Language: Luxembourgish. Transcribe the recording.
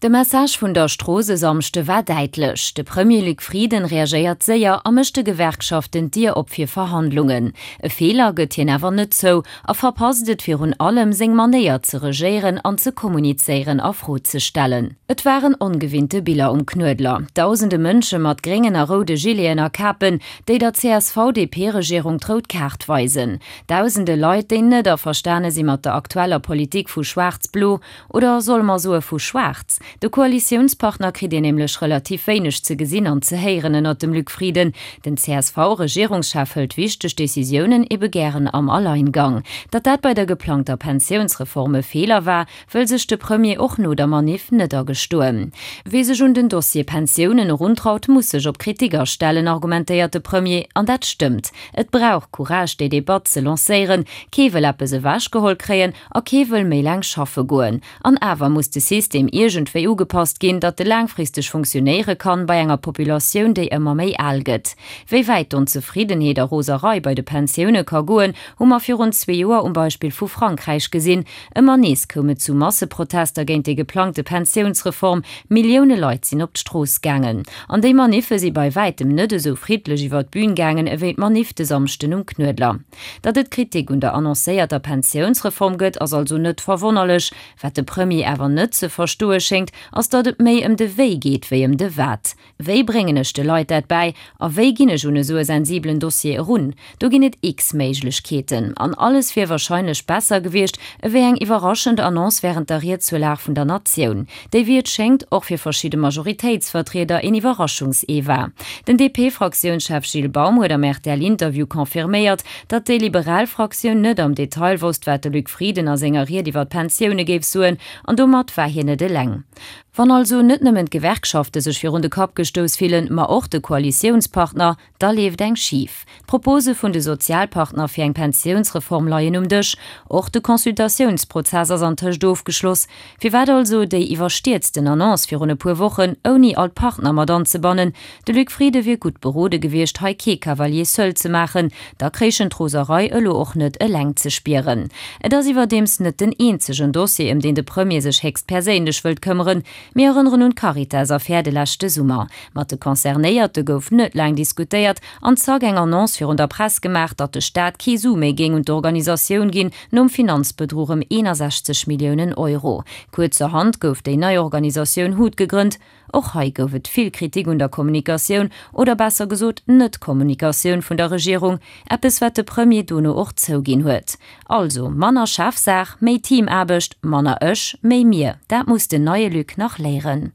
De Message vun der Strooss e Samschde war däitlech, De Premier Luc Frieden reagéiert séier a mécht de Gewerkschaften d'Dier op fir Verhandlungen. E Feeler gëtt hien awer net zou a verpasst et virun allem, seng Manéier ze regéieren an ze kommunizéieren a Fro ze stellen. Et waren ongewinnte Biller um Knuedler, Dausende Mënsche mat gréngen a roude Gileten a Kapen, déi der CSV-DP-Regierung d'rout Kaart weisen. Dausende Leit, déi net averstane si mat der aktueller Politik vu Schwaarz-Blo, Oder solle mer soe vu Schwaarz? De Koalitiounspartner kritt een nämlech relativ wéineg ze gesinn an ze héieren ënnert dem Luc Frieden. Den CSV-Regierungschef hëlt wichteg Decisiounen ebe gären am Alleingang. Datt dat bei der geplangter Pensiounsreform e Feeler war, wëll sech de Premier och no der Maniff net agestoen. Wee sech un den Dossier Pensiounen eruntraut, muss sech op Kritik astellen, argumentéiert de Premier. An dat stëmmt. Et brauch Courage, déi Debatt ze lancéieren. Kee wëll eppes ewechgeholl kréien. A kee wëll méi laang schaffe goen. An awer muss de System iergendwéi ugepasst ginn, datt e laangfristeg funktionéiere kann bei enger Populatioun, déi ëmmer méi al gëtt. Wéi wäit d'Onzefriddenheet a Roserei bei de Pensioune ka goen, hu mer virun zwee Joer um Beispill vu Frankräich gesinn. Ëmmer nees koum et zu Masseprotester géint déi geplangte Pensiounsreform, Millioune Leit sinn op d'Strooss gaangen. An déi Maniffe si bei wäitem net esou friddlech iwwer d'Bün gaangen ewéi d'Maniff de Samschden um Knuedler. Datt et Kritik un der annoncéierter Pensiounsreform gëtt, ass also net verwonnerlech. Wat de Premier awer net ze verstoe schéngt, ass datt et méi ëm de Wéi geet wéi ëm de Wat. Wéi bréngen ech de Leit dat bäi a wéi ginn ech un esou e sensibelen Dossier erun? Do ginn et x-Méiglechkeeten. An alles wier warscheinlech besser gewiescht ewéi eng iwwerraschend Annonce wärend der Ried zur Lag vun der Natioun. Déi wéi et schéngt och fir verschidde Majoritéitsvertrieder een Iwwerraschungsee war. Den DP-Fraktiounschef Gilles Baum huet am RTL-Interview confirméiert, datt déi liberal Fraktioun net am Detail wosst, wat de Luc Frieden a senger Ried iwwer d'Pensioune géif soen, an domat war hien net eleng. Wann also net nëmmen d'Gewerkschafte sech virun de Kapp gestouss fillen, ma och de Koalitiounspartner, Da leeft eng schif. D'Propose vun de Sozialpartner fir eng Pensiounsreform leien um Dësch. Och de Consultatiounsprozess ass antëscht ofgeschloss. Firwat also déi iwwerstierzten Annonce virun e puer Wochen, ouni all d'Partner mat anzebannen? De Luc Frieden wier gutt berode gewiescht, hei kee Cavalier seul ze maachen. Da kréich en d'Roserei elo och net eleng ze spieren. Et ass iwwerdeems net den eenzegen Dossier, ëm deen de Premier sech héchstperséinlech wëllt këmmeren. Mir erënneren un d'Caritas-Affär de leschte Summer. Mat de Concernéierte gouf net laang diskutéiert an zack eng Annonce virun der Press gemaach, datt de Staat kee Su méi géing un d'Organisatioun ginn, nom Finanzbedruch ëm 61 Milliounen Euro. Kuerzerhand gouf déi nei Organisatioun hut gegrënnt. Och hei gouf et vill Kritik un der Kommunikatioun, oder besser gesot Net-Kommunikatioun vun der Regierung, eppes wat de Premier dono och zouginn huet. Also, manner Chefsaach, méi Teamaarbecht, manner ech, méi mir, dat muss den neie Luc nach léieren.